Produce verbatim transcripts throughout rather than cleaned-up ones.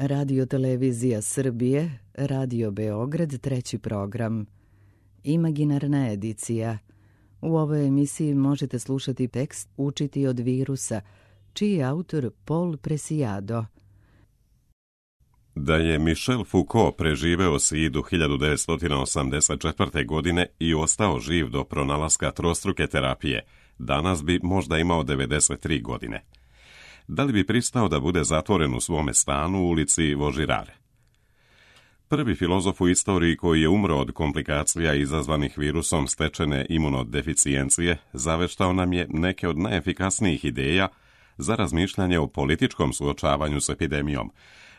Radio Televizija Srbije, Radio Beograd, treći program. Imaginarna edicija. U ovoj emisiji možete slušati tekst Učiti od virusa, čiji je autor Paul Preciado. Da je Michel Foucault preživeo sidu hiljadu devetsto osamdeset četvrte. godine i ostao živ do pronalaska trostruke terapije, danas bi možda imao devedeset tri godine. Da li bi pristao da bude zatvoren u svome stanu u ulici Vaugirard? Prvi filozof u istoriji koji je umro od komplikacija izazvanih virusom stečene imunodeficijencije zaveštao nam je neke od najefikasnijih ideja za razmišljanje o političkom suočavanju s epidemijom,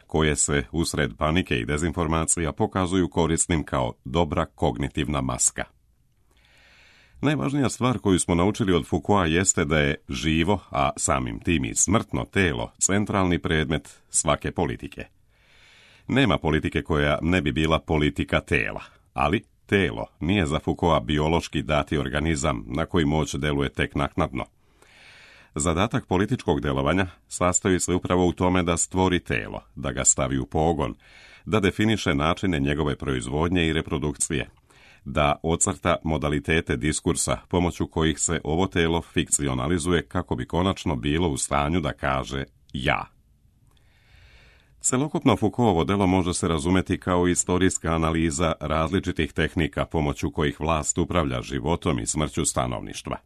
koje se usred panike i dezinformacija pokazuju korisnim kao dobra kognitivna maska. Najvažnija stvar koju smo naučili od Foucaulta jeste da je živo, a samim tim i smrtno telo, centralni predmet svake politike. Nema politike koja ne bi bila politika tela, ali telo nije za Foucaulta biološki dati organizam na koji moć deluje tek naknadno. Zadatak političkog delovanja sastoji se upravo u tome da stvori telo, da ga stavi u pogon, da definiše načine njegove proizvodnje i reprodukcije, da ocrta modalitete diskursa pomoću kojih se ovo telo fikcionalizuje kako bi konačno bilo u stanju da kaže ja. Celokupno Foucaultovo delo može se razumeti kao istorijska analiza različitih tehnika pomoću kojih vlast upravlja životom i smrću stanovništva.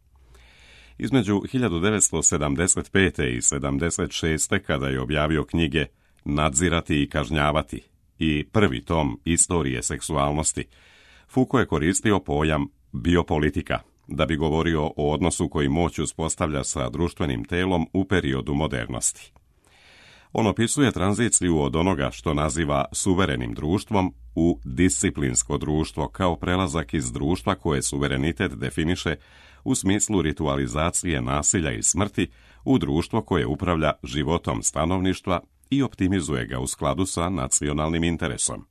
Između hiljadu devetsto sedamdeset pete. i sedamdeset šeste. kada je objavio knjige Nadzirati i kažnjavati i prvi tom Istorije seksualnosti, Foucault je koristio pojam biopolitika da bi govorio o odnosu koji moć uspostavlja sa društvenim telom u periodu modernosti. On opisuje tranziciju od onoga što naziva suverenim društvom u disciplinsko društvo kao prelazak iz društva koje suverenitet definiše u smislu ritualizacije nasilja i smrti u društvo koje upravlja životom stanovništva i optimizuje ga u skladu sa nacionalnim interesom.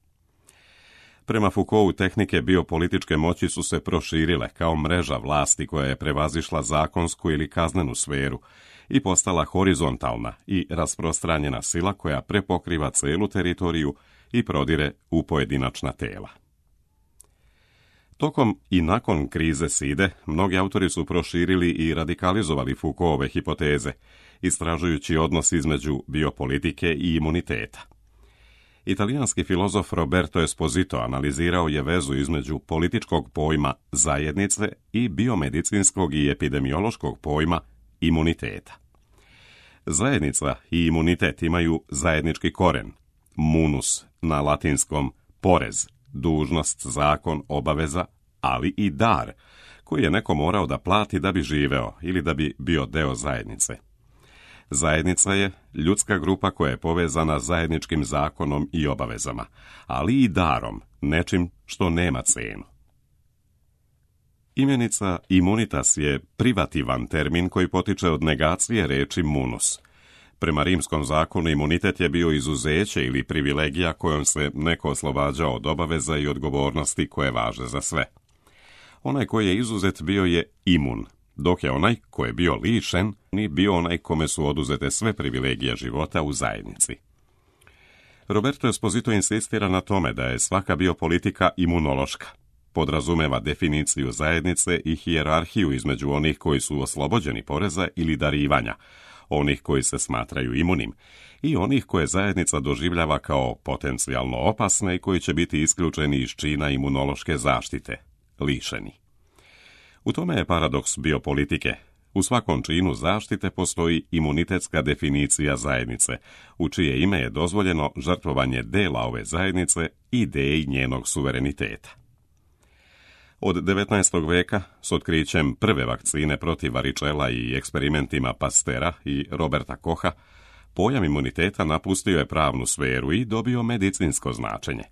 Prema Foucaultu, tehnike biopolitičke moći su se proširile kao mreža vlasti koja je prevazišla zakonsku ili kaznenu sferu i postala horizontalna i rasprostranjena sila koja prepokriva celu teritoriju i prodire u pojedinačna tela. Tokom i nakon krize side, mnogi autori su proširili i radikalizovali Foucaultove hipoteze, istražujući odnos između biopolitike i imuniteta. Italijanski filozof Roberto Esposito analizirao je vezu između političkog pojma zajednice i biomedicinskog i epidemiološkog pojma imuniteta. Zajednica i imunitet imaju zajednički koren, munus, na latinskom porez, dužnost, zakon, obaveza, ali i dar, koji je neko morao da plati da bi živeo ili da bi bio deo zajednice. Zajednica je ljudska grupa koja je povezana zajedničkim zakonom i obavezama, ali i darom, nečim što nema cenu. Imenica imunitas je privativan termin koji potiče od negacije reči munus. Prema rimskom zakonu imunitet je bio izuzeće ili privilegija kojom se neko oslobađao od obaveza i odgovornosti koje važe za sve. Onaj koji je izuzet bio je imun, dok je onaj ko je bio lišen ni bio onaj kome su oduzete sve privilegije života u zajednici. Roberto Esposito insistira na tome da je svaka biopolitika imunološka. Podrazumeva definiciju zajednice i hijerarhiju između onih koji su oslobođeni poreza ili darivanja, onih koji se smatraju imunim i onih koje zajednica doživljava kao potencijalno opasne i koji će biti isključeni iz čina imunološke zaštite, lišeni. U tome je paradoks biopolitike. U svakom činu zaštite postoji imunitetska definicija zajednice, u čije ime je dozvoljeno žrtvovanje dela ove zajednice i ideji njenog suvereniteta. Od devetnaestog veka, s otkrićem prve vakcine protiv varičela i eksperimentima Pastera i Roberta Kocha, pojam imuniteta napustio je pravnu sferu i dobio medicinsko značenje.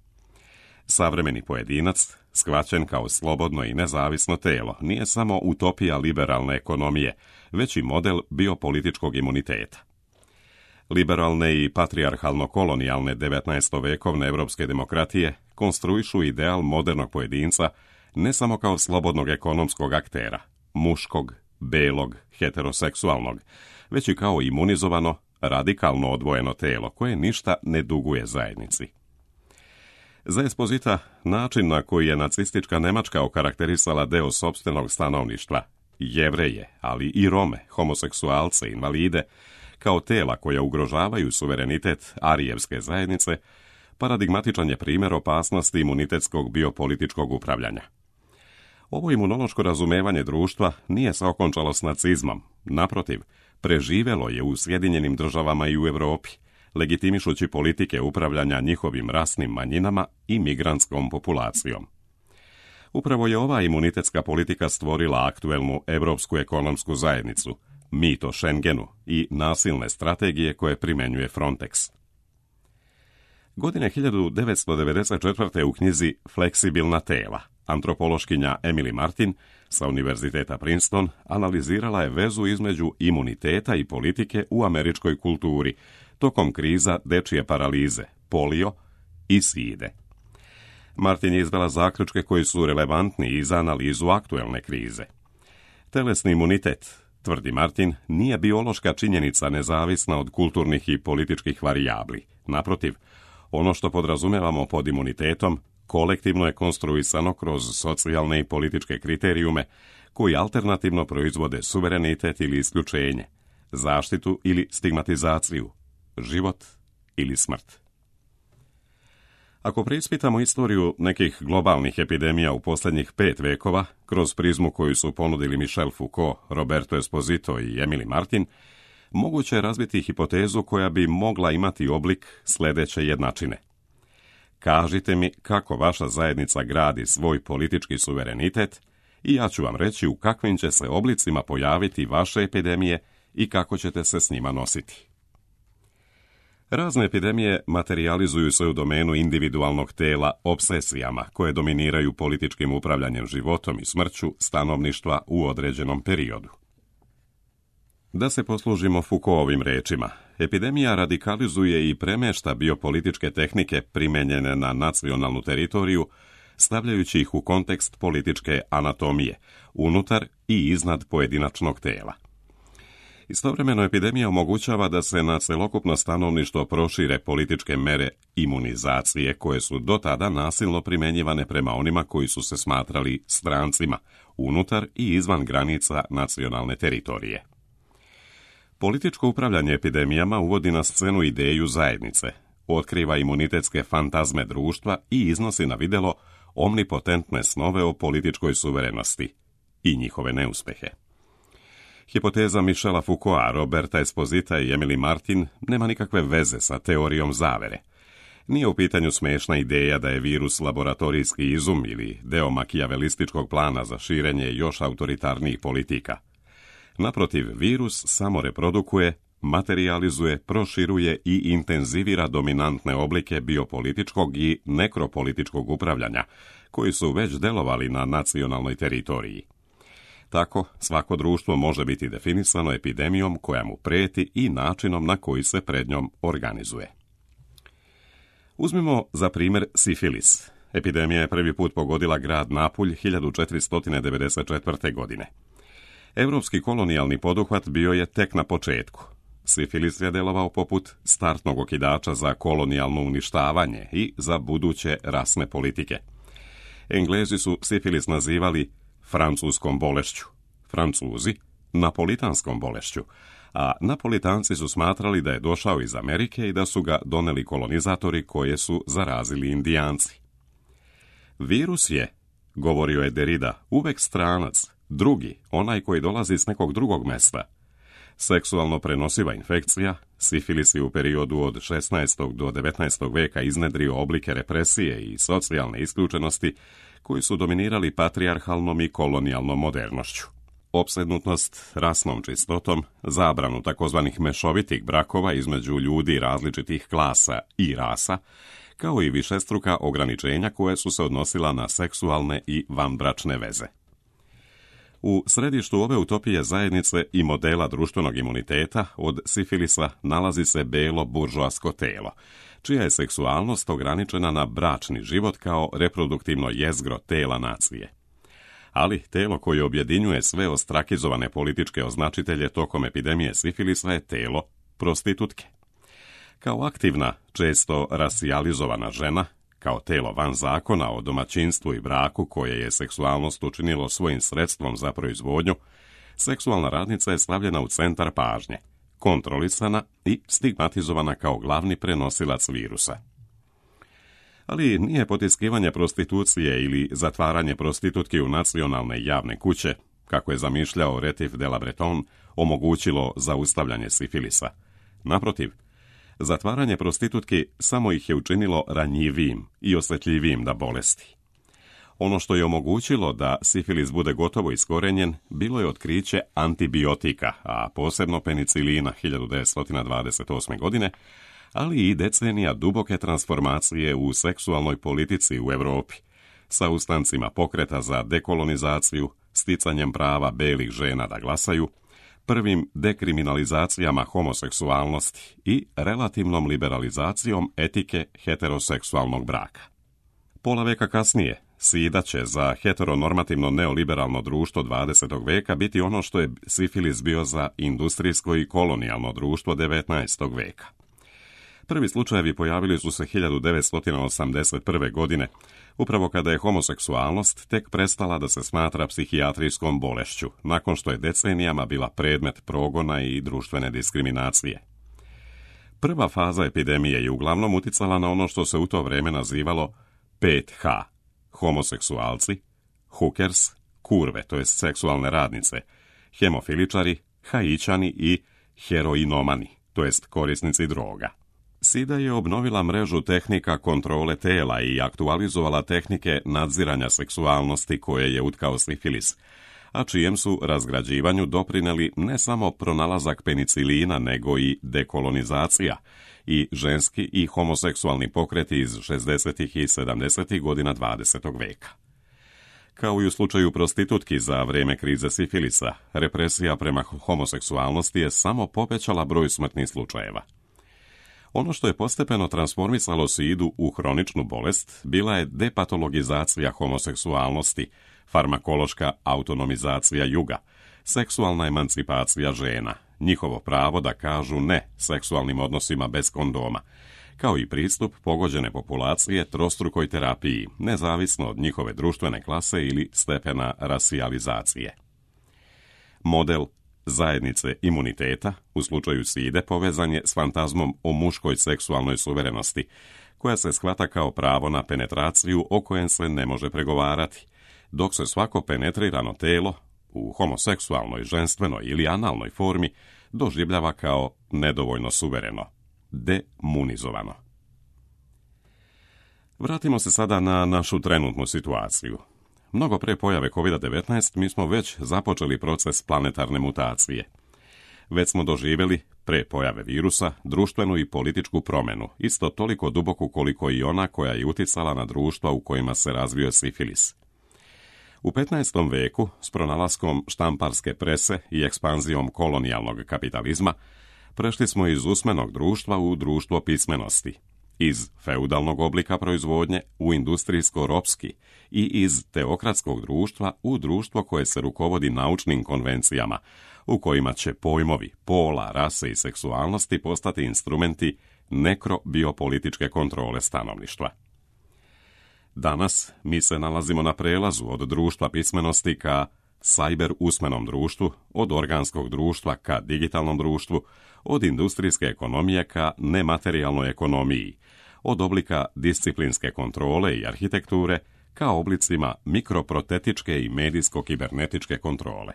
Savremeni pojedinac, shvaćen kao slobodno i nezavisno telo, nije samo utopija liberalne ekonomije, već i model biopolitičkog imuniteta. Liberalne i patrijarhalno-kolonijalne devetnaestovekovne evropske demokratije konstruišu ideal modernog pojedinca ne samo kao slobodnog ekonomskog aktera, muškog, belog, heteroseksualnog, već i kao imunizovano, radikalno odvojeno telo koje ništa ne duguje zajednici. Za Esposita, način na koji je nacistička Nemačka okarakterisala deo sopstvenog stanovništva, Jevreje, ali i Rome, homoseksualce, invalide, kao tela koja ugrožavaju suverenitet arijevske zajednice, paradigmatičan je primjer opasnosti imunitetskog biopolitičkog upravljanja. Ovo imunološko razumevanje društva nije se okončalo s nacizmom, naprotiv, preživelo je u Sjedinjenim državama i u Europi, legitimišući politike upravljanja njihovim rasnim manjinama i migrantskom populacijom. Upravo je ova imunitetska politika stvorila aktuelnu Europsku ekonomsku zajednicu, mit o Schengenu i nasilne strategije koje primjenjuje Frontex. Godine hiljadu devetsto devedeset četvrte. u knjizi Fleksibilna tela, antropološkinja Emily Martin sa Univerziteta Princeton analizirala je vezu između imuniteta i politike u američkoj kulturi tokom kriza dečije paralize, polio i side. Martin je izdala zaključke koji su relevantni i za analizu aktuelne krize. Telesni imunitet, tvrdi Martin, nije biološka činjenica nezavisna od kulturnih i političkih varijabli. Naprotiv, ono što podrazumevamo pod imunitetom kolektivno je konstruisano kroz socijalne i političke kriterijume koji alternativno proizvode suverenitet ili isključenje, zaštitu ili stigmatizaciju, život ili smrt. Ako preispitamo istoriju nekih globalnih epidemija u posljednjih pet vekova, kroz prizmu koju su ponudili Michel Foucault, Roberto Esposito i Emily Martin, moguće je razviti hipotezu koja bi mogla imati oblik sljedeće jednačine. Kažite mi kako vaša zajednica gradi svoj politički suverenitet i ja ću vam reći u kakvim će se oblicima pojaviti vaše epidemije i kako ćete se s njima nositi. Razne epidemije materijalizuju se u domenu individualnog tela obsesijama koje dominiraju političkim upravljanjem životom i smrću stanovništva u određenom periodu. Da se poslužimo Foucaultovim rečima, epidemija radikalizuje i premešta biopolitičke tehnike primenjene na nacionalnu teritoriju, stavljajući ih u kontekst političke anatomije, unutar i iznad pojedinačnog tela. Istovremeno epidemija omogućava da se na celokupno stanovništvo prošire političke mere imunizacije koje su do tada nasilno primjenjivane prema onima koji su se smatrali strancima, unutar i izvan granica nacionalne teritorije. Političko upravljanje epidemijama uvodi na scenu ideju zajednice, otkriva imunitetske fantazme društva i iznosi na vidjelo omnipotentne snove o političkoj suverenosti i njihove neuspehe. Hipoteza Michela Foucaulta, Roberta Esposita i Emily Martin nema nikakve veze sa teorijom zavere. Nije u pitanju smešna ideja da je virus laboratorijski izum ili deo makijavelističkog plana za širenje još autoritarnijih politika. Naprotiv, virus samo reprodukuje, materializuje, proširuje i intenzivira dominantne oblike biopolitičkog i nekropolitičkog upravljanja, koji su već delovali na nacionalnoj teritoriji. Tako, svako društvo može biti definisano epidemijom koja mu preti i načinom na koji se pred njom organizuje. Uzmimo za primjer sifilis. Epidemija je prvi put pogodila grad Napulj hiljadu četiristo devedeset četvrte. godine. Europski kolonijalni poduhvat bio je tek na početku. Sifilis je delovao poput startnog okidača za kolonijalno uništavanje i za buduće rasne politike. Englezi su sifilis nazivali francuskom bolešću, Francuzi napolitanskom bolešću, a Napolitanci su smatrali da je došao iz Amerike i da su ga doneli kolonizatori koje su zarazili Indijanci. Virus je, govorio je Derrida, uvek stranac, drugi, onaj koji dolazi s nekog drugog mesta. Seksualno prenosiva infekcija, sifilis je u periodu od šesnaestog do devetnaestog veka iznedrio oblike represije i socijalne isključenosti koji su dominirali patrijarhalnom i kolonijalnom modernošću. Opsednutost rasnom čistotom, zabranu takozvanih mešovitih brakova između ljudi različitih klasa i rasa, kao i višestruka ograničenja koje su se odnosila na seksualne i vanbračne veze. U središtu ove utopije zajednice i modela društvenog imuniteta od sifilisa nalazi se belo buržoasko telo, čija je seksualnost ograničena na bračni život kao reproduktivno jezgro tela nacije. Ali telo koje objedinjuje sve ostrakizovane političke označitelje tokom epidemije sifilisa je telo prostitutke. Kao aktivna, često rasijalizovana žena, kao telo van zakona o domaćinstvu i braku koje je seksualnost učinilo svojim sredstvom za proizvodnju, seksualna radnica je stavljena u centar pažnje, kontrolisana i stigmatizovana kao glavni prenosilac virusa. Ali nije potiskivanje prostitucije ili zatvaranje prostitutki u nacionalne javne kuće, kako je zamišljao Rétif de la Bretonne, omogućilo zaustavljanje sifilisa. Naprotiv, zatvaranje prostitutki samo ih je učinilo ranjivijim i osjetljivijim na bolesti. Ono što je omogućilo da sifilis bude gotovo iskorenjen bilo je otkriće antibiotika, a posebno penicilina hiljadu devetsto dvadeset osme. godine, ali i decenija duboke transformacije u seksualnoj politici u Europi, sa ustancima pokreta za dekolonizaciju, sticanjem prava belih žena da glasaju, prvim dekriminalizacijama homoseksualnosti i relativnom liberalizacijom etike heteroseksualnog braka. Pola veka kasnije, SIDA će za heteronormativno neoliberalno društvo dvadesetog veka biti ono što je sifilis bio za industrijsko i kolonijalno društvo devetnaestog veka. Prvi slučajevi pojavili su se hiljadu devetsto osamdeset prve. godine, upravo kada je homoseksualnost tek prestala da se smatra psihijatrijskom bolešću, nakon što je decenijama bila predmet progona i društvene diskriminacije. Prva faza epidemije je uglavnom uticala na ono što se u to vrijeme nazivalo pet ha, homoseksualci, hookers, kurve, to jest seksualne radnice, hemofiličari, haičani i heroinomani, to jest korisnici droga. SIDA je obnovila mrežu tehnika kontrole tela i aktualizovala tehnike nadziranja seksualnosti koje je utkao sifilis, a čijem su razgrađivanju doprineli ne samo pronalazak penicilina, nego i dekolonizacija i ženski i homoseksualni pokreti iz šezdesetih i sedamdesetih godina dvadesetog veka. Kao i u slučaju prostitutki za vrijeme krize sifilisa, represija prema homoseksualnosti je samo povećala broj smrtnih slučajeva. Ono što je postepeno transformisalo SIDU u hroničnu bolest bila je depatologizacija homoseksualnosti, farmakološka autonomizacija juga, seksualna emancipacija žena, njihovo pravo da kažu ne seksualnim odnosima bez kondoma, kao i pristup pogođene populacije trostrukoj terapiji, nezavisno od njihove društvene klase ili stepena rasijalizacije. Model zajednice imuniteta, u slučaju SIDE, povezan je s fantazmom o muškoj seksualnoj suverenosti, koja se shvata kao pravo na penetraciju o kojem se ne može pregovarati, dok se svako penetrirano telo, u homoseksualnoj, ženstvenoj ili analnoj formi, doživljava kao nedovoljno suvereno, demunizovano. Vratimo se sada na našu trenutnu situaciju. Mnogo pre pojave kovid devetnaest mi smo već započeli proces planetarne mutacije. Već smo doživjeli, pre pojave virusa, društvenu i političku promjenu, isto toliko duboku koliko i ona koja je uticala na društva u kojima se razvio sifilis. U petnaestom veku, s pronalaskom štamparske prese i ekspanzijom kolonijalnog kapitalizma, prešli smo iz usmenog društva u društvo pismenosti, iz feudalnog oblika proizvodnje u industrijsko-ropski i iz teokratskog društva u društvo koje se rukovodi naučnim konvencijama, u kojima će pojmovi pola, rase i seksualnosti postati instrumenti nekrobiopolitičke kontrole stanovništva. Danas mi se nalazimo na prelazu od društva pismenosti ka cyber usmenom društvu, od organskog društva ka digitalnom društvu, od industrijske ekonomije ka nematerijalnoj ekonomiji, od oblika disciplinske kontrole i arhitekture ka oblicima mikroprotetičke i medijsko-kibernetičke kontrole.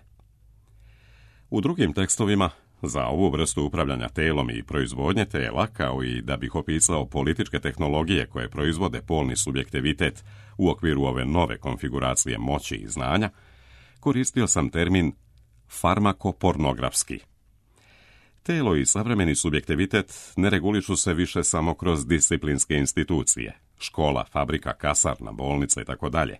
U drugim tekstovima za ovu vrstu upravljanja telom i proizvodnje tela, kao i da bih opisao političke tehnologije koje proizvode polni subjektivitet u okviru ove nove konfiguracije moći i znanja, koristio sam termin farmakopornografski. Telo i savremeni subjektivitet ne regulišu se više samo kroz disciplinske institucije, škola, fabrika, kasarna, bolnica i tako dalje,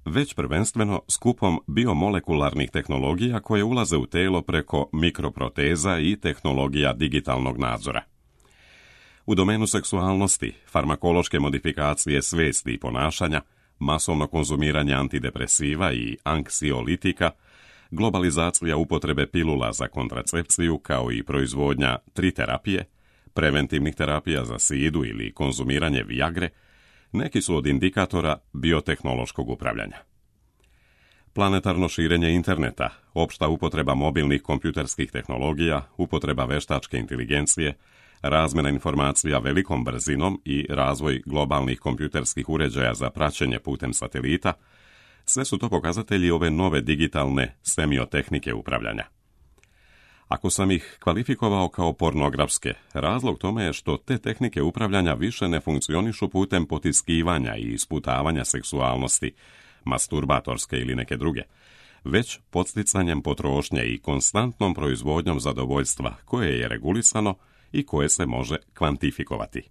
već prvenstveno skupom biomolekularnih tehnologija koje ulaze u telo preko mikroproteza i tehnologija digitalnog nadzora. U domenu seksualnosti, farmakološke modifikacije svijesti i ponašanja, masovno konzumiranje antidepresiva i anksiolitika, globalizacija upotrebe pilula za kontracepciju kao i proizvodnja triterapije, preventivnih terapija za sidu ili konzumiranje viagre, neki su od indikatora biotehnološkog upravljanja. Planetarno širenje interneta, opšta upotreba mobilnih kompjuterskih tehnologija, upotreba veštačke inteligencije, razmjena informacija velikom brzinom i razvoj globalnih kompjuterskih uređaja za praćenje putem satelita, sve su to pokazatelji ove nove digitalne semiotehnike upravljanja. Ako sam ih kvalifikovao kao pornografske, razlog tome je što te tehnike upravljanja više ne funkcionišu putem potiskivanja i isputavanja seksualnosti, masturbatorske ili neke druge, već podsticanjem potrošnje i konstantnom proizvodnjom zadovoljstva koje je regulisano i koje se može kvantifikovati.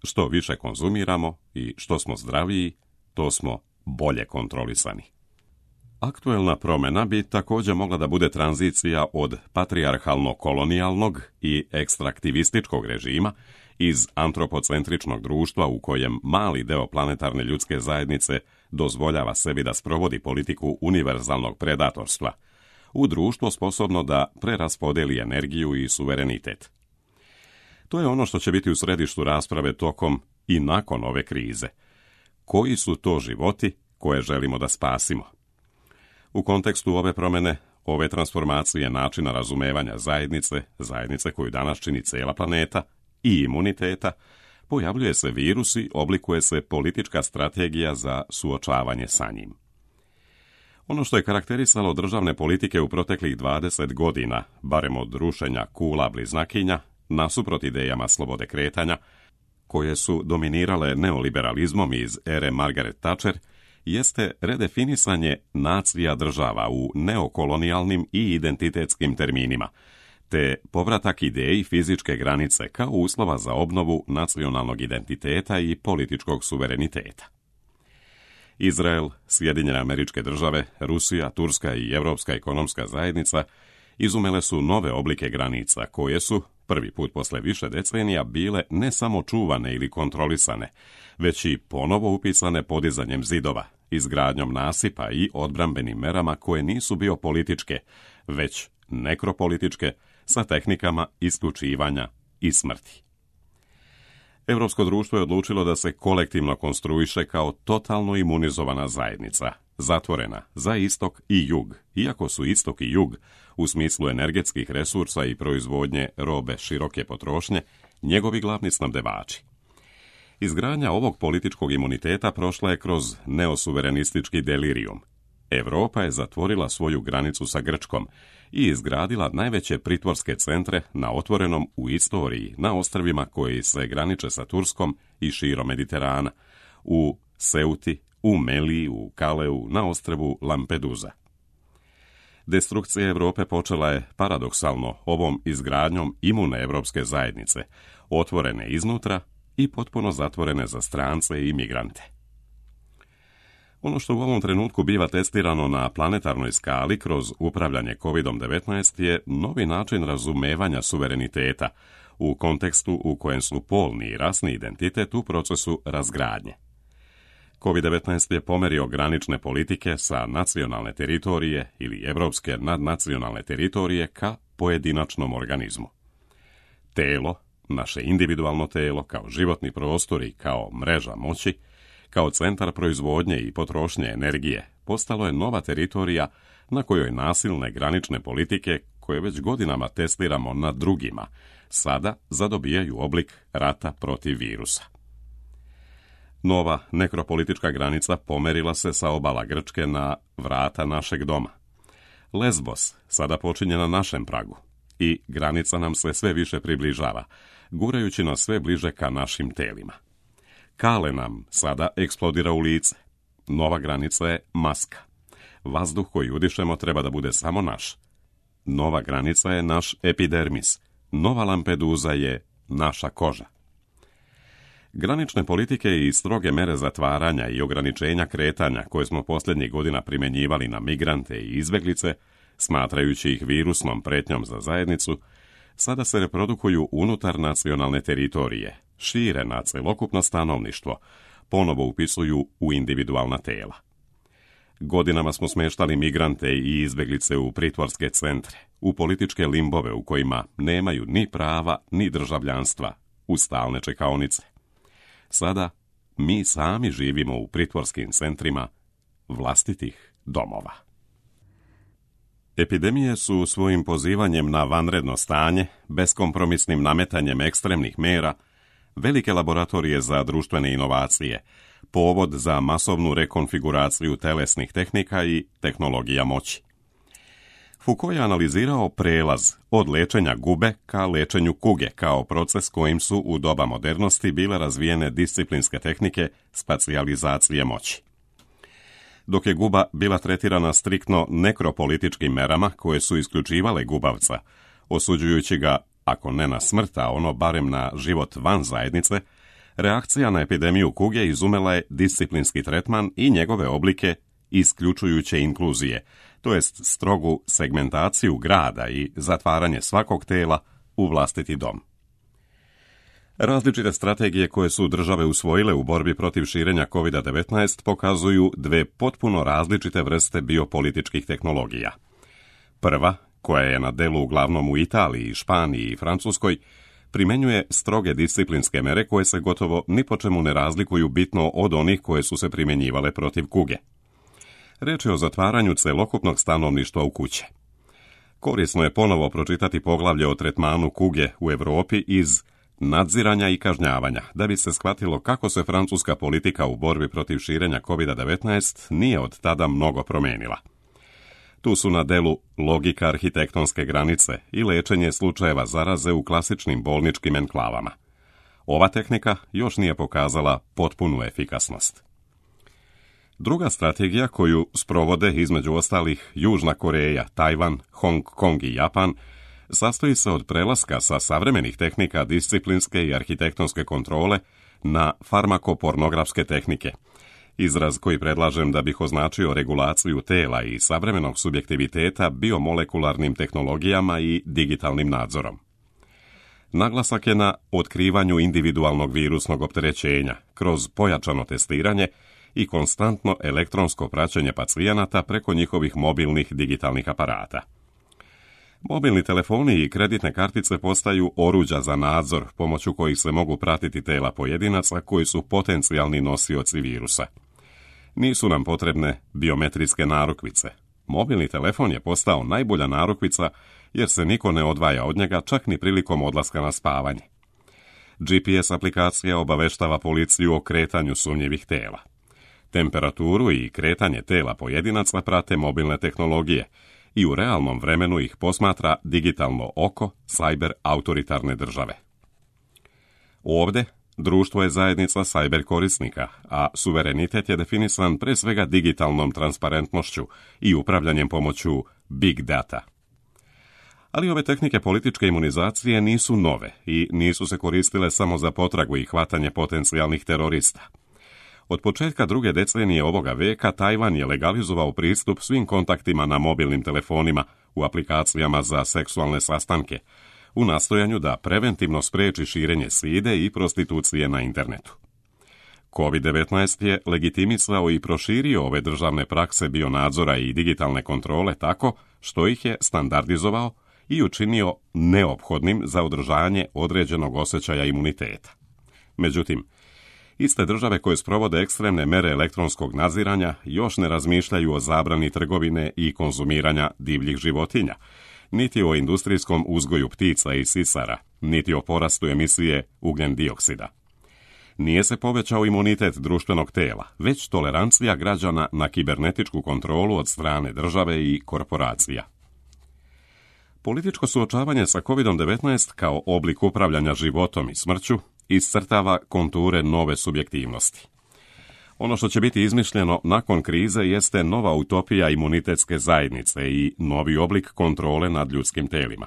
Što više konzumiramo i što smo zdraviji, to smo bolje kontrolisani. Aktuelna promjena bi također mogla da bude tranzicija od patrijarhalno-kolonijalnog i ekstraktivističkog režima iz antropocentričnog društva u kojem mali deo planetarne ljudske zajednice dozvoljava sebi da sprovodi politiku univerzalnog predatorstva, u društvo sposobno da preraspodeli energiju i suverenitet. To je ono što će biti u središtu rasprave tokom i nakon ove krize. Koji su to životi koje želimo da spasimo? U kontekstu ove promjene, ove transformacije načina razumevanja zajednice, zajednice koju danas čini cijela planeta, i imuniteta, pojavljuje se virus i oblikuje se politička strategija za suočavanje sa njim. Ono što je karakterisalo državne politike u proteklih dvadeset godina, barem od rušenja kula bliznakinja, nasuprot idejama slobode kretanja, koje su dominirale neoliberalizmom iz ere Margaret Thatcher, jeste redefinisanje nacija država u neokolonijalnim i identitetskim terminima, te povratak ideji fizičke granice kao uslova za obnovu nacionalnog identiteta i političkog suvereniteta. Izrael, Sjedinjene Američke Države, Rusija, Turska i Europska ekonomska zajednica izumele su nove oblike granica koje su, prvi put posle više decenija, bile ne samo čuvane ili kontrolisane, već i ponovo upisane podizanjem zidova, izgradnjom nasipa i odbrambenim merama koje nisu biopolitičke, već nekropolitičke, sa tehnikama isključivanja i smrti. Europsko društvo je odlučilo da se kolektivno konstruiše kao totalno imunizovana zajednica, zatvorena za istok i jug, iako su istok i jug, u smislu energetskih resursa i proizvodnje robe široke potrošnje, njegovi glavni snabdevači. Izgradnja ovog političkog imuniteta prošla je kroz neosuverenistički delirijum. Europa je zatvorila svoju granicu sa Grčkom i izgradila najveće pritvorske centre na otvorenom u istoriji na ostrvima koji se graniče sa Turskom i širom Mediterana, u Seuti, u Meliji, u Kaleu, na ostrvu Lampedusa. Destrukcija Europe počela je paradoksalno ovom izgradnjom imune evropske zajednice, otvorene iznutra i potpuno zatvorene za strance i imigrante. Ono što u ovom trenutku biva testirano na planetarnoj skali kroz upravljanje kovid devetnaest je novi način razumevanja suvereniteta u kontekstu u kojem su polni i rasni identitet u procesu razgradnje. kovid devetnaest je pomerio granične politike sa nacionalne teritorije ili evropske nadnacionalne teritorije ka pojedinačnom organizmu. Telo, naše individualno telo kao životni prostor i kao mreža moći, kao centar proizvodnje i potrošnje energije, postalo je nova teritorija na kojoj nasilne granične politike, koje već godinama testiramo na drugima, sada zadobijaju oblik rata protiv virusa. Nova nekropolitička granica pomerila se sa obala Grčke na vrata našeg doma. Lesbos sada počinje na našem pragu i granica nam se sve više približava, gurajući nas sve bliže ka našim telima. Kale nam sada eksplodira u lice. Nova granica je maska. Vazduh koji udišemo treba da bude samo naš. Nova granica je naš epidermis. Nova Lampedusa je naša koža. Granične politike i stroge mere zatvaranja i ograničenja kretanja koje smo posljednjih godina primjenjivali na migrante i izbeglice, smatrajući ih virusnom pretnjom za zajednicu, sada se reprodukuju unutar nacionalne teritorije, šire na celokupno stanovništvo, ponovo upisuju u individualna tela. Godinama smo smještali migrante i izbjeglice u pritvorske centre, u političke limbove u kojima nemaju ni prava ni državljanstva, u stalne čekaonice. Sada mi sami živimo u pritvorskim centrima vlastitih domova. Epidemije su svojim pozivanjem na vanredno stanje, beskompromisnim nametanjem ekstremnih mera, velike laboratorije za društvene inovacije, povod za masovnu rekonfiguraciju telesnih tehnika i tehnologija moći. Foucault je analizirao prelaz od lečenja gube ka lečenju kuge kao proces kojim su u doba modernosti bile razvijene disciplinske tehnike spacijalizacije moći. Dok je guba bila tretirana striktno nekropolitičkim merama koje su isključivale gubavca, osuđujući ga, ako ne na smrt, a ono barem na život van zajednice, reakcija na epidemiju kuge izumela je disciplinski tretman i njegove oblike isključujuće inkluzije, to jest strogu segmentaciju grada i zatvaranje svakog tela u vlastiti dom. Različite strategije koje su države usvojile u borbi protiv širenja kovid devetnaest pokazuju dve potpuno različite vrste biopolitičkih tehnologija. Prva, koja je na delu uglavnom u Italiji, Španiji i Francuskoj, primjenjuje stroge disciplinske mere koje se gotovo ni po čemu ne razlikuju bitno od onih koje su se primjenjivale protiv kuge. Reč je o zatvaranju celokupnog stanovništva u kuće. Korisno je ponovo pročitati poglavlje o tretmanu kuge u Europi iz nadziranja i kažnjavanja, da bi se shvatilo kako se francuska politika u borbi protiv širenja kovid devetnaest nije od tada mnogo promijenila. Tu su na delu logika arhitektonske granice i lečenje slučajeva zaraze u klasičnim bolničkim enklavama. Ova tehnika još nije pokazala potpunu efikasnost. Druga strategija koju sprovode između ostalih Južna Koreja, Tajvan, Hong Kong i Japan sastoji se od prelaska sa savremenih tehnika disciplinske i arhitektonske kontrole na farmakopornografske tehnike, izraz koji predlažem da bih označio regulaciju tela i savremenog subjektiviteta biomolekularnim tehnologijama i digitalnim nadzorom. Naglasak je na otkrivanju individualnog virusnog opterećenja kroz pojačano testiranje i konstantno elektronsko praćenje pacijenata preko njihovih mobilnih digitalnih aparata. Mobilni telefoni i kreditne kartice postaju oruđa za nadzor pomoću kojih se mogu pratiti tela pojedinaca koji su potencijalni nosioci virusa. Nisu nam potrebne biometrijske narukvice. Mobilni telefon je postao najbolja narukvica jer se niko ne odvaja od njega čak ni prilikom odlaska na spavanje. G P S aplikacija obaveštava policiju o kretanju sumnjivih tela. Temperaturu i kretanje tela pojedinaca prate mobilne tehnologije i u realnom vremenu ih posmatra digitalno oko cyber autoritarne države. Ovdje društvo je zajednica cyber korisnika, a suverenitet je definisan pre svega digitalnom transparentnošću i upravljanjem pomoću big data. Ali ove tehnike političke imunizacije nisu nove i nisu se koristile samo za potragu i hvatanje potencijalnih terorista. Od početka druge decenije ovoga veka Tajvan je legalizovao pristup svim kontaktima na mobilnim telefonima u aplikacijama za seksualne sastanke, u nastojanju da preventivno spriječi širenje side i prostitucije na internetu. kovid devetnaest je legitimisao i proširio ove državne prakse bionadzora i digitalne kontrole tako što ih je standardizovao i učinio neophodnim za održanje određenog osjećaja imuniteta. Međutim, iste države koje sprovode ekstremne mere elektronskog nadziranja još ne razmišljaju o zabrani trgovine i konzumiranja divljih životinja, niti o industrijskom uzgoju ptica i sisara, niti o porastu emisije ugljen dioksida. Nije se povećao imunitet društvenog tela, već tolerancija građana na kibernetičku kontrolu od strane države i korporacija. Političko suočavanje sa kovid devetnaest kao oblik upravljanja životom i smrću iscrtava konture nove subjektivnosti. Ono što će biti izmišljeno nakon krize jeste nova utopija imunitetske zajednice i novi oblik kontrole nad ljudskim telima.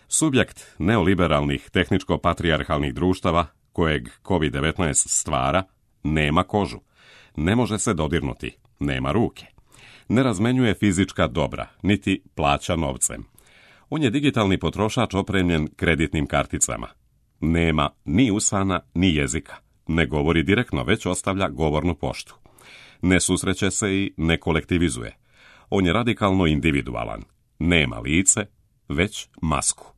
Subjekt neoliberalnih tehničko-patrijarhalnih društava, kojeg kovid devetnaest stvara, nema kožu, ne može se dodirnuti, nema ruke, ne razmenjuje fizička dobra, niti plaća novcem. On je digitalni potrošač opremljen kreditnim karticama. Nema ni usana, ni jezika. Ne govori direktno, već ostavlja govornu poštu. Ne susreće se i ne kolektivizuje. On je radikalno individualan. Nema lice, već masku.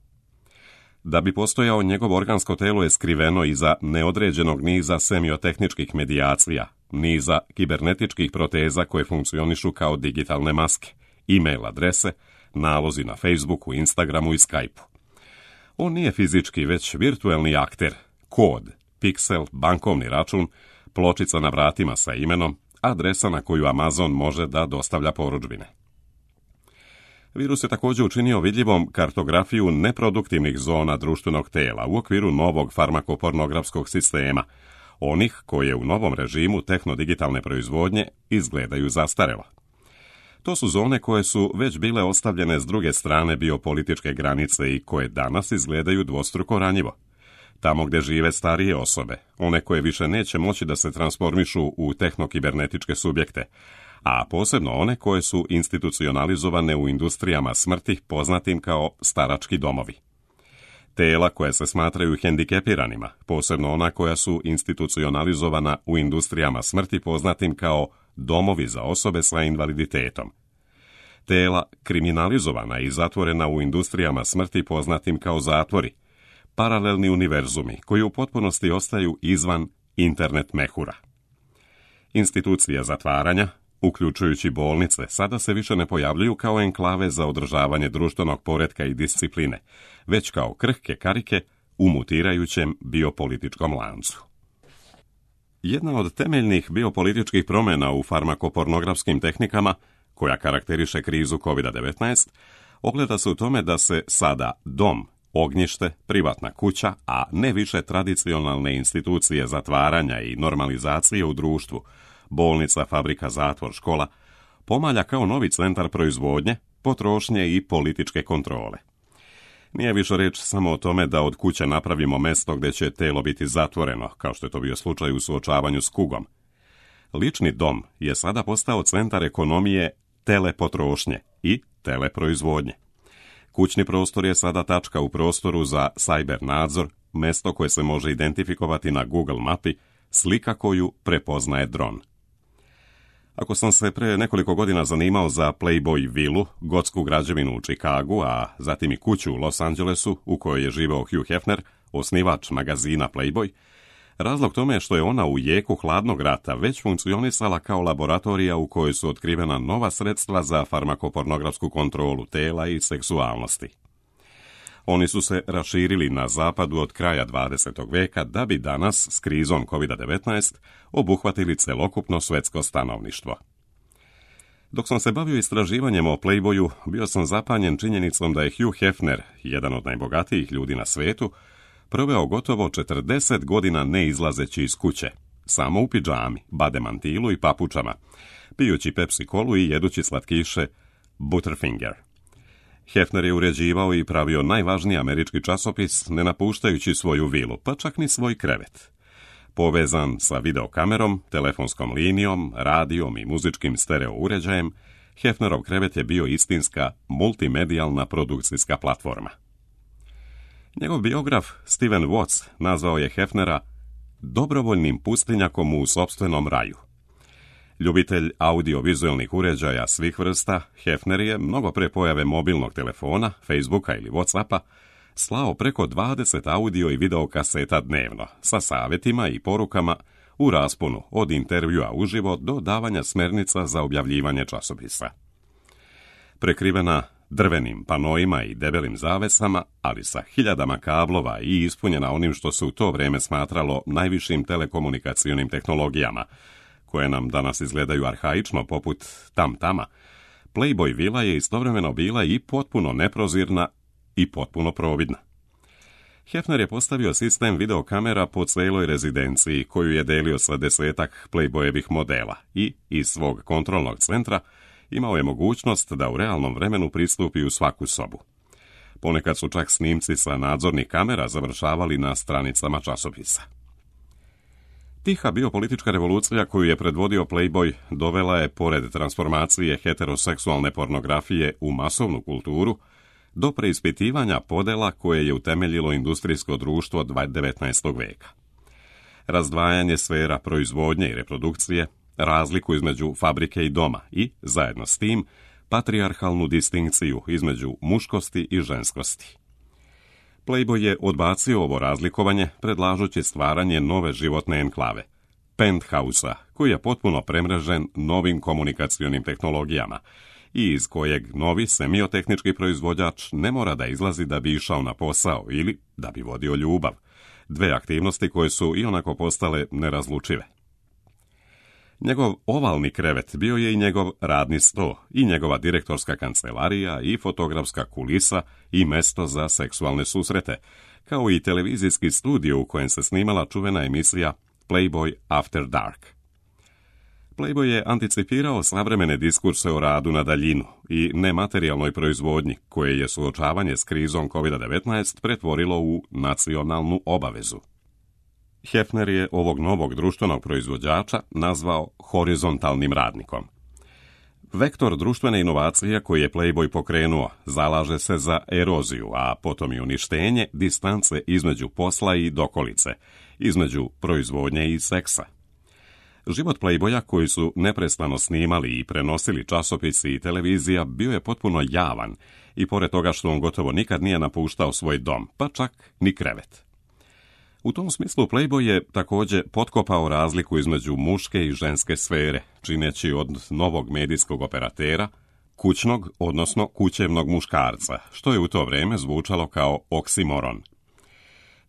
Da bi postojao, njegovo organsko telo je skriveno iza neodređenog niza semiotehničkih medijacija, niza kibernetičkih proteza koje funkcionišu kao digitalne maske, e-mail adrese, nalozi na Facebooku, Instagramu i Skypeu. On nije fizički, već virtuelni akter, kod, piksel, bankovni račun, pločica na vratima sa imenom, adresa na koju Amazon može da dostavlja porudžbine. Virus je također učinio vidljivom kartografiju neproduktivnih zona društvenog tela u okviru novog farmakopornografskog sistema, onih koje u novom režimu tehnodigitalne proizvodnje izgledaju zastarelo. To su zone koje su već bile ostavljene s druge strane biopolitičke granice i koje danas izgledaju dvostruko ranjivo. Tamo gdje žive starije osobe, one koje više neće moći da se transformišu u tehnokibernetičke subjekte, a posebno one koje su institucionalizovane u industrijama smrti poznatim kao starački domovi. Tela koja se smatraju hendikepiranima, posebno ona koja su institucionalizovana u industrijama smrti poznatim kao domovi za osobe sa invaliditetom. Tela kriminalizovana i zatvorena u industrijama smrti poznatim kao zatvori, paralelni univerzumi koji u potpunosti ostaju izvan internet mehura. Institucije zatvaranja, uključujući bolnice, sada se više ne pojavljuju kao enklave za održavanje društvenog poretka i discipline, već kao krhke karike u mutirajućem biopolitičkom lancu. Jedna od temeljnih biopolitičkih promjena u farmakopornografskim tehnikama, koja karakteriše krizu kovid devetnaest, ogleda se u tome da se sada dom, ognjište, privatna kuća, a ne više tradicionalne institucije zatvaranja i normalizacije u društvu, bolnica, fabrika, zatvor, škola, pomalja kao novi centar proizvodnje, potrošnje i političke kontrole. Nije više reč samo o tome da od kuće napravimo mjesto gdje će telo biti zatvoreno, kao što je to bio slučaj u suočavanju s kugom. Lični dom je sada postao centar ekonomije telepotrošnje i teleproizvodnje. Kućni prostor je sada tačka u prostoru za cyber nadzor, mjesto koje se može identifikovati na Google mapi, slika koju prepoznaje dron. Ako sam se pre nekoliko godina zanimao za Playboy vilu, gotsku građevinu u Chicagu, a zatim i kuću u Los Angelesu u kojoj je živeo Hugh Hefner, osnivač magazina Playboy, razlog tome je što je ona u jeku hladnog rata već funkcionisala kao laboratorija u kojoj su otkrivena nova sredstva za farmakopornografsku kontrolu tela i seksualnosti. Oni su se raširili na zapadu od kraja dvadesetog veka da bi danas s krizom kovid devetnaest obuhvatili celokupno svetsko stanovništvo. Dok sam se bavio istraživanjem o Playboyu, bio sam zapanjen činjenicom da je Hugh Hefner, jedan od najbogatijih ljudi na svetu, proveo gotovo četrdeset godina ne izlazeći iz kuće, samo u pidžami, bademantilu i papučama, pijući Pepsi kolu i jedući slatkiše Butterfinger. Hefner je uređivao i pravio najvažniji američki časopis ne napuštajući svoju vilu, pa čak ni svoj krevet. Povezan sa videokamerom, telefonskom linijom, radijom i muzičkim stereo uređajem, Hefnerov krevet je bio istinska multimedijalna produkcijska platforma. Njegov biograf Steven Watts nazvao je Hefnera dobrovoljnim pustinjakom u sopstvenom raju. Ljubitelj audiovizualnih uređaja svih vrsta, Hefner je, mnogo pre pojave mobilnog telefona, Facebooka ili Whatsappa, slao preko dvadeset audio i video kaseta dnevno, sa savjetima i porukama u rasponu od intervjua uživo do davanja smjernica za objavljivanje časopisa. Prekrivena drvenim panoima i debelim zavesama, ali sa hiljadama kablova i ispunjena onim što se u to vrijeme smatralo najvišim telekomunikacionim tehnologijama, koje nam danas izgledaju arhaično poput tam-tama, Playboy vila je istovremeno bila i potpuno neprozirna i potpuno providna. Hefner je postavio sistem videokamera po celoj rezidenciji koju je delio sa desetak Playboyevih modela i iz svog kontrolnog centra imao je mogućnost da u realnom vremenu pristupi u svaku sobu. Ponekad su čak snimci sa nadzornih kamera završavali na stranicama časopisa. Tiha biopolitička revolucija koju je predvodio Playboy dovela je, pored transformacije heteroseksualne pornografije u masovnu kulturu, do preispitivanja podela koje je utemeljilo industrijsko društvo devetnaestog veka. Razdvajanje sfera proizvodnje i reprodukcije, razliku između fabrike i doma i, zajedno s tim, patrijarhalnu distinkciju između muškosti i ženskosti. Playboy je odbacio ovo razlikovanje predlažući stvaranje nove životne enklave, Penthouse-a, koji je potpuno premrežen novim komunikacionim tehnologijama i iz kojeg novi semiotehnički proizvođač ne mora da izlazi da bi išao na posao ili da bi vodio ljubav, dve aktivnosti koje su i onako postale nerazlučive. Njegov ovalni krevet bio je i njegov radni sto, i njegova direktorska kancelarija, i fotografska kulisa, i mesto za seksualne susrete, kao i televizijski studio u kojem se snimala čuvena emisija Playboy After Dark. Playboy je anticipirao savremene diskurse o radu na daljinu i nematerijalnoj proizvodnji, koje je suočavanje s krizom kovid devetnaest pretvorilo u nacionalnu obavezu. Hefner je ovog novog društvenog proizvođača nazvao horizontalnim radnikom. Vektor društvene inovacije koji je Playboy pokrenuo zalaže se za eroziju, a potom i uništenje distance između posla i dokolice, između proizvodnje i seksa. Život Playboya, koji su neprestano snimali i prenosili časopisi i televizija, bio je potpuno javan i pored toga što on gotovo nikad nije napuštao svoj dom, pa čak ni krevet. U tom smislu Playboy je također potkopao razliku između muške i ženske sfere, čineći od novog medijskog operatera kućnog, odnosno kućevnog muškarca, što je u to vrijeme zvučalo kao oksimoron.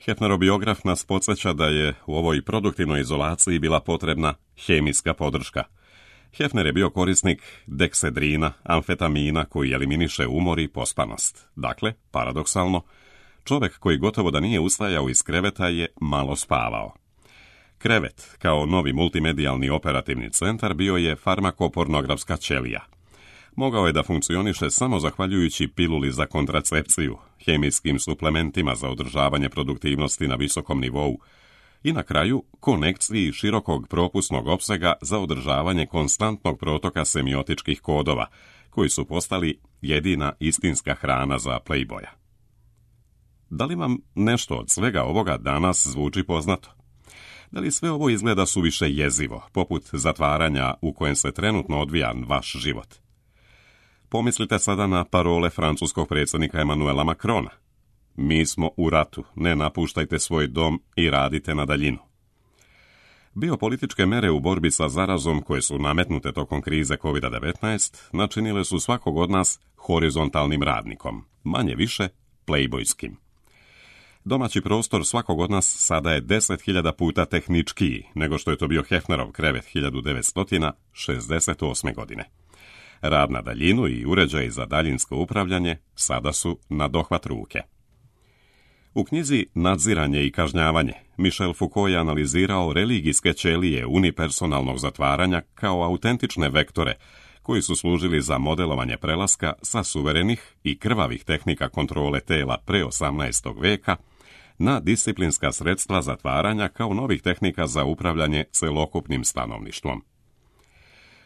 Hefnerov biograf nas podsjeća da je u ovoj produktivnoj izolaciji bila potrebna hemijska podrška. Hefner je bio korisnik deksedrina, amfetamina koji eliminiše umor i pospanost. Dakle, paradoksalno, čovjek koji gotovo da nije ustajao iz kreveta je malo spavao. Krevet, kao novi multimedijalni operativni centar, bio je farmakopornografska ćelija. Mogao je da funkcioniše samo zahvaljujući piluli za kontracepciju, hemijskim suplementima za održavanje produktivnosti na visokom nivou i na kraju konekciji širokog propusnog opsega za održavanje konstantnog protoka semiotičkih kodova, koji su postali jedina istinska hrana za Playboya. Da li vam nešto od svega ovoga danas zvuči poznato? Da li sve ovo izgleda suviše jezivo, poput zatvaranja u kojem se trenutno odvija vaš život? Pomislite sada na parole francuskog predsjednika Emmanuela Macrona. Mi smo u ratu, ne napuštajte svoj dom i radite na daljinu. Biopolitičke mere u borbi sa zarazom koje su nametnute tokom krize kovid devetnaest načinile su svakog od nas horizontalnim radnikom, manje više playboyskim. Domaći prostor svakog od nas sada je deset hiljada puta tehničkiji nego što je to bio Hefnerov krevet hiljadu devetsto šezdeset osme. godine. Rad na daljinu i uređaji za daljinsko upravljanje sada su na dohvat ruke. U knjizi Nadziranje i kažnjavanje Michel Foucault je analizirao religijske ćelije unipersonalnog zatvaranja kao autentične vektore koji su služili za modelovanje prelaska sa suverenih i krvavih tehnika kontrole tela pre osamnaestog veka na disciplinska sredstva zatvaranja kao novih tehnika za upravljanje celokupnim stanovništvom.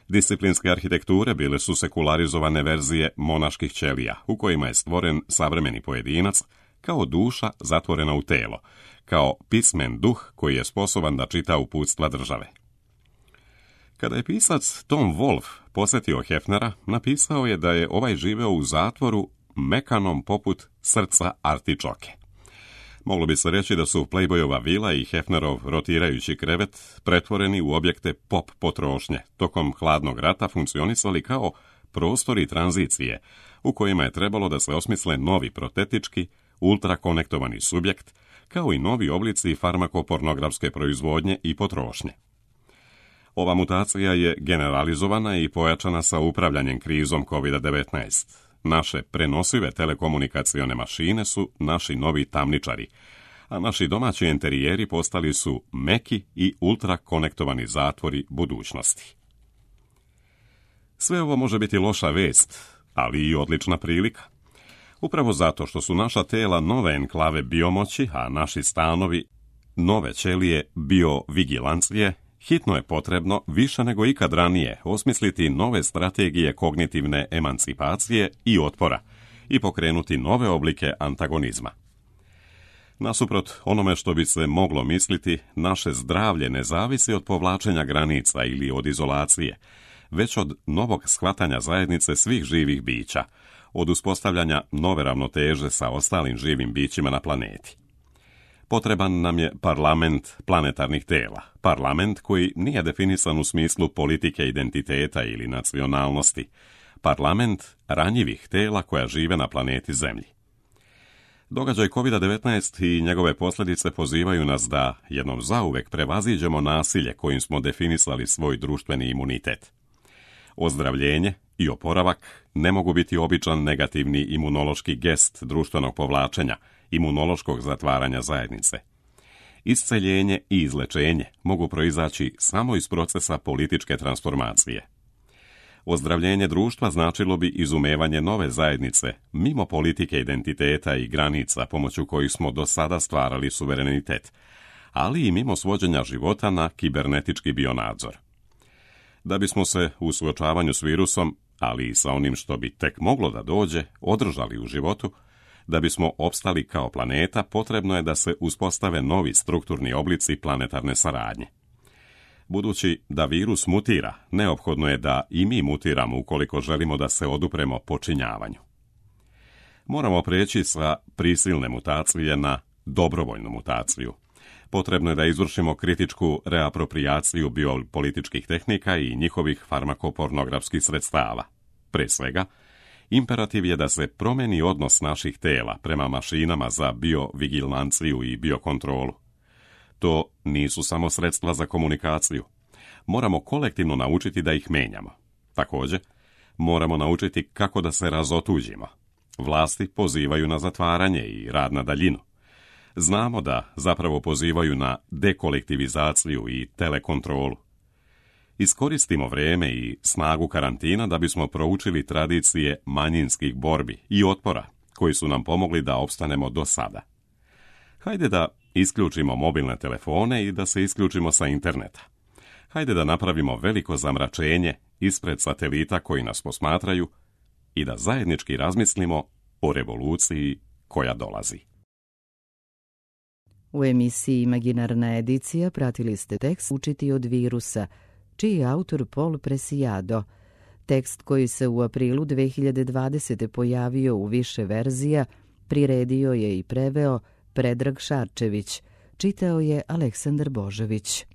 Disciplinske arhitekture bile su sekularizovane verzije monaških ćelija, u kojima je stvoren savremeni pojedinac kao duša zatvorena u telo, kao pismen duh koji je sposoban da čita uputstva države. Kada je pisac Tom Wolfe posjetio Hefnera, napisao je da je ovaj živeo u zatvoru mekanom poput srca artičoke. Moglo bi se reći da su Playboyova vila i Hefnerov rotirajući krevet pretvoreni u objekte pop potrošnje, tokom hladnog rata funkcionisali kao prostori tranzicije, u kojima je trebalo da se osmisle novi protetički, ultrakonektovani subjekt, kao i novi oblici farmakopornografske proizvodnje i potrošnje. Ova mutacija je generalizovana i pojačana sa upravljanjem krizom kovid devetnaest. Naše prenosive telekomunikacione mašine su naši novi tamničari, a naši domaći enterijeri postali su meki i ultrakonektovani zatvori budućnosti. Sve ovo može biti loša vest, ali i odlična prilika. Upravo zato što su naša tela nove enklave biomoći, a naši stanovi nove ćelije biovigilancije, hitno je potrebno, više nego ikad ranije, osmisliti nove strategije kognitivne emancipacije i otpora i pokrenuti nove oblike antagonizma. Nasuprot onome što bi se moglo misliti, naše zdravlje ne zavisi od povlačenja granica ili od izolacije, već od novog shvatanja zajednice svih živih bića, od uspostavljanja nove ravnoteže sa ostalim živim bićima na planeti. Potreban nam je parlament planetarnih tela, parlament koji nije definisan u smislu politike identiteta ili nacionalnosti, parlament ranjivih tela koja žive na planeti Zemlji. Događaj kovid devetnaest i njegove posljedice pozivaju nas da jednom zauvek prevaziđemo nasilje kojim smo definisali svoj društveni imunitet. Ozdravljenje i oporavak ne mogu biti običan negativni imunološki gest društvenog povlačenja, imunološkog zatvaranja zajednice. Isceljenje i izlečenje mogu proizaći samo iz procesa političke transformacije. Ozdravljenje društva značilo bi izumevanje nove zajednice, mimo politike identiteta i granica pomoću kojih smo do sada stvarali suverenitet, ali i mimo svođenja života na kibernetički bionadzor. Da bismo se u suočavanju s virusom, ali i sa onim što bi tek moglo da dođe, održali u životu, da bismo opstali kao planeta, potrebno je da se uspostave novi strukturni oblici planetarne saradnje. Budući da virus mutira, neophodno je da i mi mutiramo ukoliko želimo da se odupremo počinjavanju. Moramo preći sa prisilne mutacije na dobrovoljnu mutaciju. Potrebno je da izvršimo kritičku reaproprijaciju biopolitičkih tehnika i njihovih farmakopornografskih sredstava. Pre svega, imperativ je da se promeni odnos naših tela prema mašinama za biovigilanciju i biokontrolu. To nisu samo sredstva za komunikaciju. Moramo kolektivno naučiti da ih menjamo. Također, moramo naučiti kako da se razotuđimo. Vlasti pozivaju na zatvaranje i rad na daljinu. Znamo da zapravo pozivaju na dekolektivizaciju i telekontrolu. Iskoristimo vrijeme i snagu karantina da bismo proučili tradicije manjinskih borbi i otpora koji su nam pomogli da opstanemo do sada. Hajde da isključimo mobilne telefone i da se isključimo sa interneta. Hajde da napravimo veliko zamračenje ispred satelita koji nas posmatraju i da zajednički razmislimo o revoluciji koja dolazi. U emisiji Imaginarna edicija pratili ste tekst Učiti od virusa, čiji je autor Paul Preciado. Tekst koji se u aprilu dve hiljade dvadesete. pojavio u više verzija, priredio je i preveo Predrag Šarčević, čitao je Aleksandar Božović.